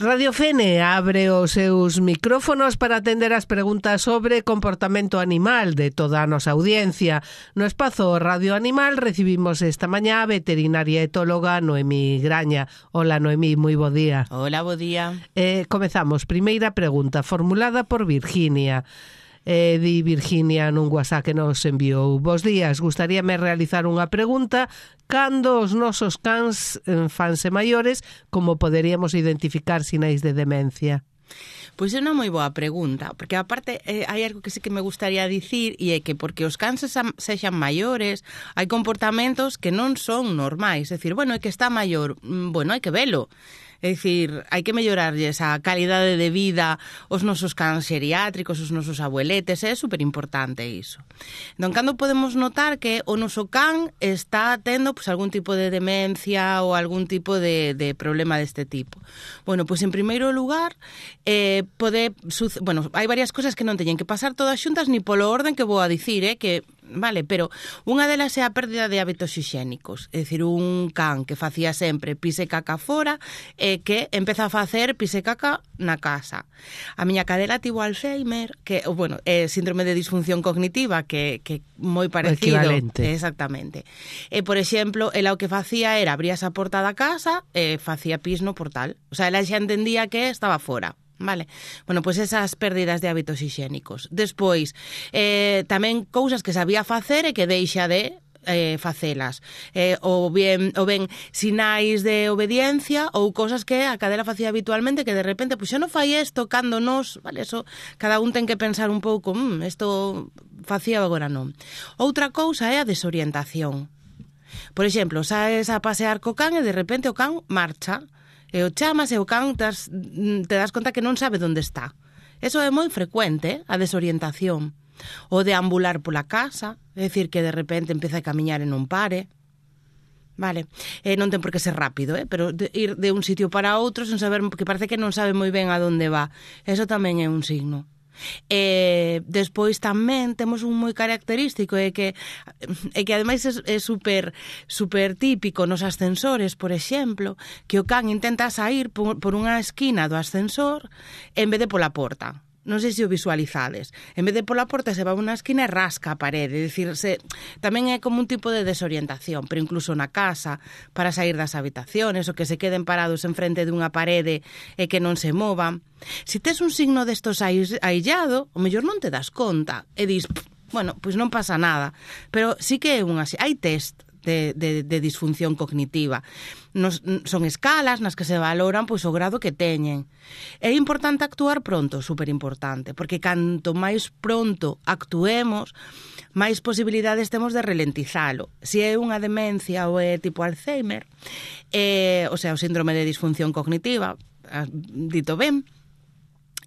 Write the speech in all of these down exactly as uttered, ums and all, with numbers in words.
Radio Fene abre os seus micrófonos para atender as preguntas sobre comportamento animal de toda a nosa audiencia. No espazo Radio Animal recibimos esta mañá a veterinaria etóloga Noemí Graña. Hola Noemí, moi bo día. Hola, bo día. Eh, comezamos. Primeira pregunta formulada por Virginia. Eh, di Virginia nun WhatsApp que nos enviou. Bos días, gustaríame realizar unha pregunta. Cando os nosos cans eh, fanse maiores, como poderíamos identificar sinais de demencia? Pois é unha moi boa pregunta, porque aparte eh, hai algo que sí que me gustaría dicir, e é que porque os cans sexan maiores, hai comportamentos que non son normais. É dicir, bueno, é que está maior, bueno, hai que velo. É dicir, hai que mellorarlles a calidade de vida aos nosos cans xeriátricos, os nosos abueletes, é superimportante iso. Entón, cando podemos notar que o noso can está tendo pues, algún tipo de demencia ou algún tipo de, de problema deste tipo? Bueno, pois pues, en primeiro lugar, eh, pode, bueno, hai varias cosas que non teñen que pasar todas xuntas ni polo orden que vou a dicir, eh, que vale, pero unha delas é a pérdida de hábitos hixiénicos, é dicir, un can que facía sempre pise caca fora e que empeza a facer pise caca na casa. A miña cadela tivo Alzheimer, que, bueno, é síndrome de disfunción cognitiva, que que moi parecido. Equivalente. Exactamente. E, por exemplo, ela o que facía era abría esa porta da casa e facía pis no portal. O sea, ela xa entendía que estaba fora. Vale, bueno, pois pues esas pérdidas de hábitos hixiénicos. Despois, eh, tamén cousas que sabía facer e que deixa de eh, facelas. Eh, ou, bien, ou ben sinais de obediencia ou cousas que a cadela facía habitualmente que de repente, pois pues, xa non fai isto cando nos, vale, eso, cada un ten que pensar un pouco, mmm, isto facía agora non. Outra cousa é a desorientación. Por exemplo, saes a pasear co can e de repente o can marcha. E o chamas e o can te das, te das conta que non sabe onde está. Eso é moi frecuente, a desorientación. O deambular pola casa, é dicir, que de repente empeza a camiñar e non pare. Vale, e non ten por que ser rápido, eh? Pero de ir de un sitio para outro sen saber, que parece que non sabe moi ben a onde va. Eso tamén é un signo. E despois tamén temos un moi característico é que é que ademais é, é super super típico nos ascensores, por exemplo, que o can intenta sair por, por unha esquina do ascensor en vez de pola porta. Non sei se o visualizades. En vez de pola porta se va a unha esquina e rasca a parede. É dicir, se, tamén é como un tipo de desorientación, pero incluso na casa, para sair das habitaciones, o que se queden parados en frente dunha parede e que non se movan. Se tes un signo destos aillado, o mellor non te das conta e dis, bueno, pois non pasa nada. Pero sí que é unha... Hai test de, de, de disfunción cognitiva. Nos, son escalas nas que se valoran pois o grado que teñen. É importante actuar pronto, superimportante, porque canto máis pronto actuemos, máis posibilidades temos de ralentizalo. Se é unha demencia ou é tipo Alzheimer, eh, o sea, o síndrome de disfunción cognitiva, dito ben,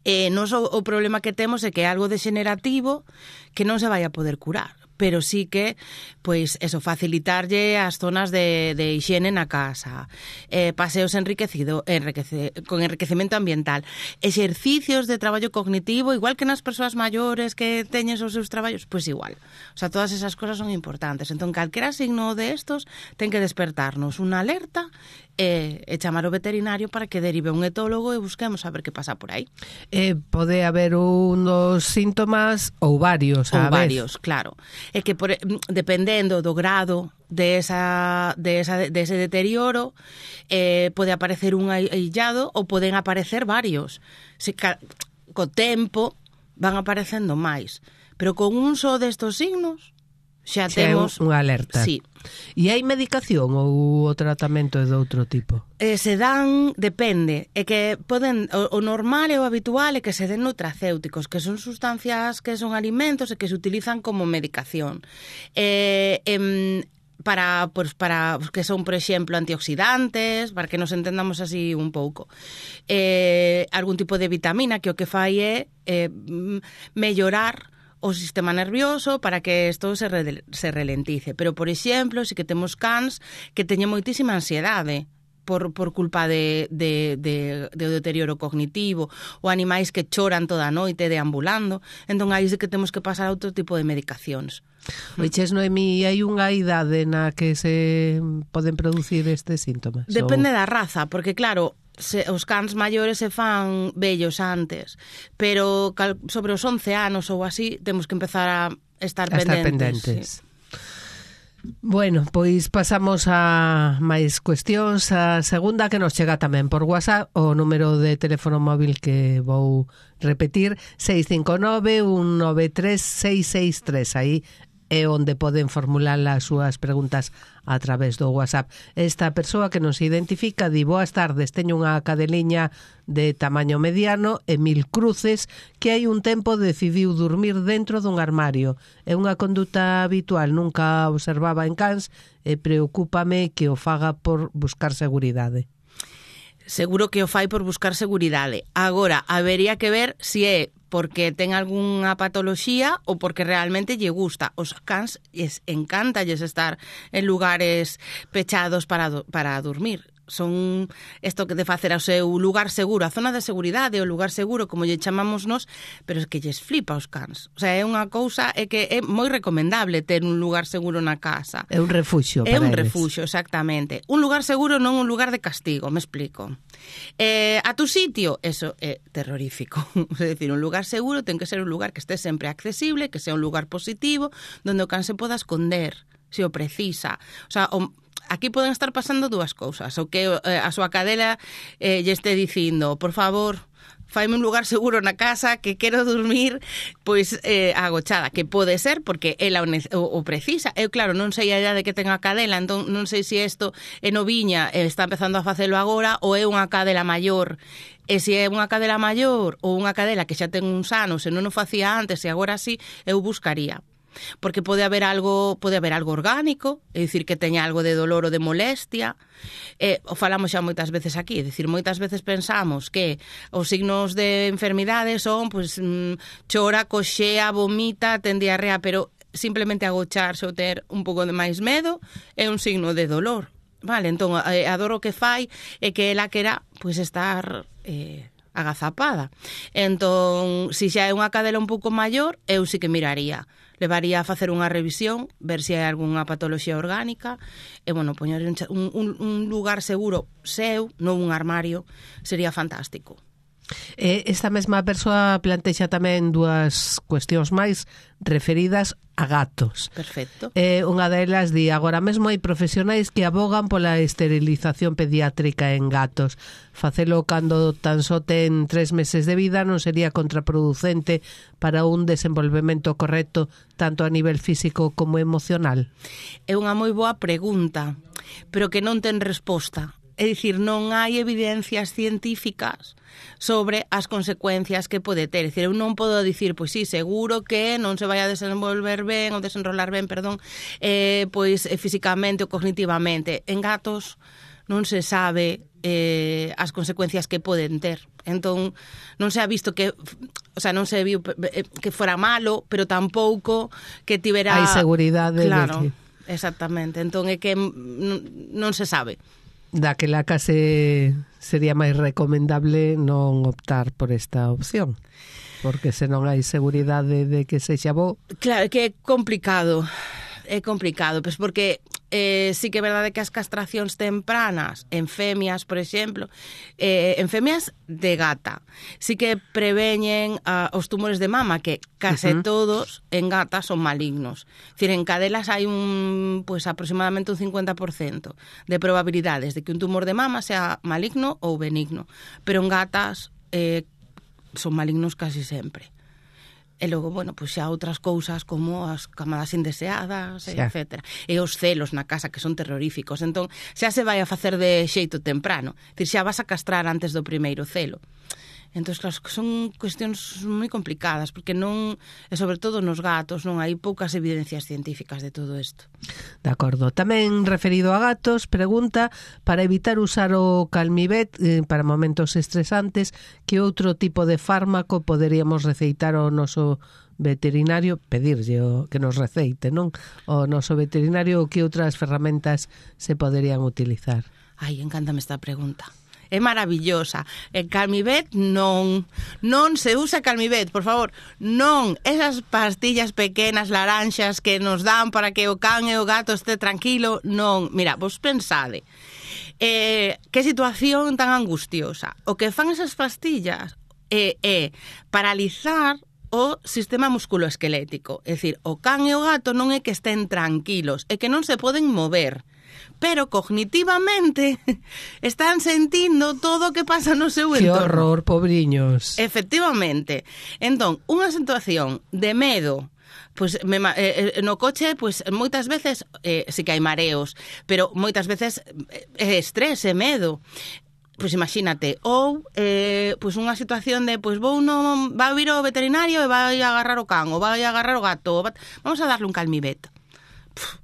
eh, nos o, o problema que temos é que é algo degenerativo que non se vai a poder curar. Pero sí que, pois, eso, facilitarlle as zonas de, de higiene na casa, eh, paseos enriquecido, enriquece, con enriquecemento ambiental, exercicios de traballo cognitivo, igual que nas persoas maiores que teñen os seus traballos, pois igual. O sea, todas esas cosas son importantes. Entón, calquera signo de estos ten que despertarnos unha alerta e, e chamar o veterinario para que derive un etólogo e busquemos a ver que pasa por aí. Eh, pode haber unos síntomas ou varios, a ou varios, claro. É que por, dependendo do grado de esa, de esa de ese deterioro, eh, pode aparecer un aillado ou poden aparecer varios. Se, ca, co tempo van aparecendo máis. Pero con un só destos signos xa xa temos unha alerta. Sí. E hai medicación ou o tratamento é de outro tipo? Eh, se dan, depende, é que poden, o, o normal e o habitual é que se den nutracéuticos, que son sustancias que son alimentos e que se utilizan como medicación. Eh, em, para, pues, para que son, por exemplo, antioxidantes, para que nos entendamos así un pouco. Eh, algún tipo de vitamina que o que fai é eh, mellorar o sistema nervioso para que isto se, re, se ralentice. Pero, por exemplo, si que temos cans que teñen moitísima ansiedade por, por culpa de, de, de, de deterioro cognitivo, ou animais que choran toda a noite deambulando, entón aí sí que temos que pasar a outro tipo de medicacións. Oiches, Noemí, hai unha idade na que se poden producir estes síntomas? Depende ou... da raza, porque claro, se, os cans maiores se fan vellos antes, pero cal, sobre os once anos ou así temos que empezar a estar a pendentes. Estar pendentes. Sí. Bueno, pois pasamos a máis cuestións. A segunda que nos chega tamén por WhatsApp, o número de teléfono móvil que vou repetir, seis cinco nove, un nove tres, seis seis tres. Aí é onde poden formular as súas preguntas a través do WhatsApp. Esta persoa que nos identifica di: boas tardes, teño unha cadeliña de tamaño mediano e mil cruces que hai un tempo decidiu dormir dentro dun armario. É unha conduta habitual, nunca observaba en cans e preocúpame que o faga por buscar seguridade. Seguro que o fai por buscar seguridade. Agora, habería que ver se é porque ten algunha patoloxía ou porque realmente lle gusta. Os cans es encántalles estar en lugares pechados para, do, para dormir. Son isto que de facer ao seu lugar seguro, a zona de seguridade, o lugar seguro, como lle chamamos nós, pero é que lles flipa os cans. O sea, é unha cousa, é que é moi recomendable ter un lugar seguro na casa. É un refuxio para É un eles. refuxio, exactamente. Un lugar seguro, non un lugar de castigo, me explico. Eh, a tu sitio, eso é terrorífico. É dicir, un lugar seguro ten que ser un lugar que este sempre accesible, que sea un lugar positivo, donde o can se poda esconder, se o precisa. O sea, o aquí poden estar pasando dúas cousas. O que eh, a súa cadela eh, lle este dicindo, por favor, faime un lugar seguro na casa que quero dormir pois eh, agochada, que pode ser porque ela o, o, o precisa. Eu, claro, non sei a idade que ten a cadela, entón non sei se isto é noviña e está empezando a facelo agora ou é unha cadela maior. E se é unha cadela maior ou unha cadela que xa ten uns anos e non o facía antes e agora sí, eu buscaría. Porque pode haber algo, pode haber algo orgánico, é dicir, que teña algo de dolor ou de molestia. Eh, o falamos xa moitas veces aquí, é dicir, moitas veces pensamos que os signos de enfermidade son, pues, mm, chora, coxea, vomita, ten diarrea, pero simplemente agocharse ou ter un pouco de máis medo é un signo de dolor. Vale, entón, a dor o que fai é que ela quera, pois, estar eh, agazapada. Entón, se xa é unha cadela un pouco maior, eu sí que miraría. Levaría a facer unha revisión, ver se hai algunha patoloxía orgánica e, bueno, poñer un, un, un lugar seguro seu, non un armario, sería fantástico. Esta mesma persoa plantexa tamén dúas cuestións máis referidas a gatos. Perfecto. Eh, unha delas di: agora mesmo hai profesionais que abogan pola esterilización pediátrica en gatos. Facelo cando tan só ten tres meses de vida non sería contraproducente para un desenvolvemento correcto tanto a nivel físico como emocional? É unha moi boa pregunta, pero que non ten resposta. É dicir, non hai evidencias científicas sobre as consecuencias que pode ter. É dicir, eu non podo dicir, pois sí, seguro que non se vai a desenvolver ben ou desenrolar ben, perdón, eh, pois eh, físicamente ou cognitivamente. En gatos non se sabe eh, as consecuencias que poden ter. Entón, non se ha visto que, o sea, non se viu que fora malo, pero tampouco que tivera... Hai seguridade. Claro, de que... exactamente. Entón, é que non, non se sabe. Daquela case sería máis recomendable non optar por esta opción, porque se non hai seguridade de que sexa bo... Claro, que é complicado, é complicado, pois porque eh, sí que é verdade que as castracións tempranas en femias, por exemplo, eh, en femias de gata, sí que preveñen uh, os tumores de mama, que case uh-huh. todos en gatas son malignos. Es decir, en cadelas hai un, pues, aproximadamente un cincuenta por ciento de probabilidades de que un tumor de mama sea maligno ou benigno, pero en gatas eh, son malignos casi sempre. E logo, bueno, pois xa outras cousas como as camadas indeseadas, xa. etcétera. E os celos na casa, que son terroríficos. Entón, xa se vai a facer de xeito temprano. É dicir, xa vas a castrar antes do primeiro celo. Entón, claro, son cuestións moi complicadas, porque non, e sobre todo nos gatos, non hai poucas evidencias científicas de todo isto. De acordo. Tamén referido a gatos, pregunta, para evitar usar o Calmivet eh, para momentos estresantes, que outro tipo de fármaco poderíamos receitar ao noso veterinario, pedirlle o que nos receite, non? O noso veterinario, que outras ferramentas se poderían utilizar? Ai, encántame esta pregunta. É maravillosa. El Calmivet non, non se usa Calmivet, por favor, non. Esas pastillas pequenas laranxas que nos dan para que o can e o gato este tranquilo, non. Mira, vos pensade, Eh, que situación tan angustiosa. O que fan esas pastillas é, é paralizar o sistema musculoesquelético. É dicir, o can e o gato non é que estén tranquilos, é que non se poden mover, pero cognitivamente están sentindo todo o que pasa no seu que entorno. Que horror, pobriños. Efectivamente. Entón, unha situación de medo, pues me, eh, no coche, pues moitas veces eh, sí que hai mareos, pero moitas veces é eh, estrés e medo. Pois imagínate, ou eh, pois unha situación de pois vou no, vai vir o veterinario e vai agarrar o can, ou vai agarrar o gato, va, vamos a darle un calmibet.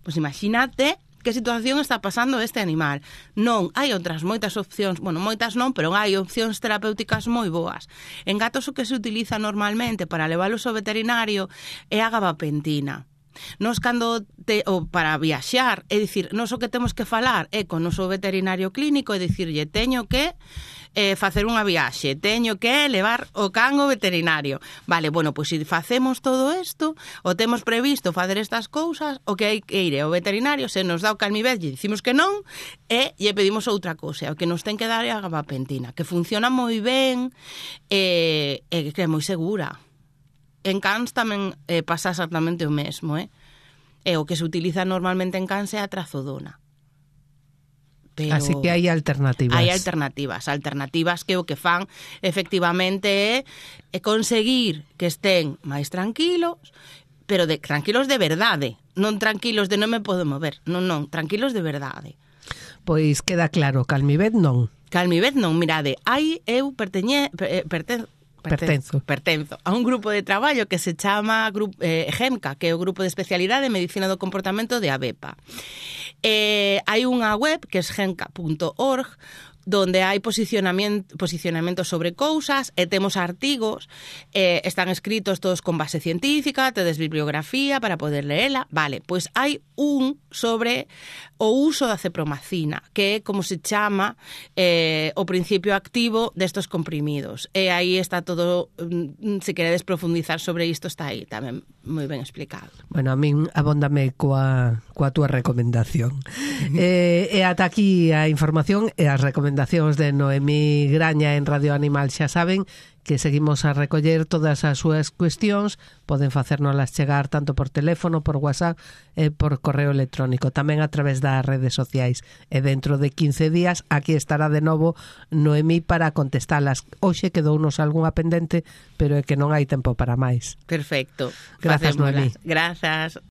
Pois imagínate que situación está pasando este animal. Non, hai outras moitas opcións, bueno, moitas non, pero hai opcións terapéuticas moi boas. En gatos o que se utiliza normalmente para leválos ao veterinario é a gabapentina. Nos cando te, ou para viaxar, é dicir, nos o que temos que falar é con o noso veterinario clínico e dicirlle, teño que eh, facer unha viaxe, teño que levar o can ao veterinario. Vale, bueno, pois se facemos todo isto, o temos previsto facer estas cousas, o que hai que ir ao veterinario, se nos dá o calmibet e dicimos que non, e lle pedimos outra cousa, o que nos ten que dar é a gabapentina, que funciona moi ben e, e que é moi segura. En cans tamén eh, pasa exactamente o mesmo, eh? E o que se utiliza normalmente en cans é a trazodona. Pero así que hai alternativas. Hai alternativas, alternativas que o que fan efectivamente é, é conseguir que estén máis tranquilos, pero de tranquilos de verdade, non tranquilos de non me podo mover, non, non, tranquilos de verdade. Pois queda claro, calmibet non. Calmibet non, mirade, hai eu perteñe, pertenzo Pertenzo. Pertenzo a un grupo de traballo que se chama eh, GEMCA, que é o Grupo de Especialidade en Medicina do Comportamento de ABEPA. Eh, hai unha web que é gemca punto org, donde hai posicionamento, posicionamento sobre cousas e temos artigos, eh, están escritos todos con base científica, tedes bibliografía para poder leela. Vale, pois hai un sobre o uso da cepromacina, que é como se chama eh, o principio activo destos comprimidos. E aí está todo, se queredes profundizar sobre isto, está aí tamén moi ben explicado. Bueno, a min abóndame coa, coa túa recomendación. eh, e ata aquí a información e as recomendacións de Noemí Graña en Radio Animal. Xa saben que seguimos a recoller todas as súas cuestións, poden facérnoslas chegar tanto por teléfono, por WhatsApp e por correo electrónico, tamén a través das redes sociais. E dentro de quince días aquí estará de novo Noemí para contestalas. Hoxe quedounos algunha pendente, pero é que non hai tempo para máis. Perfecto. Grazas, Noemí. Grazas.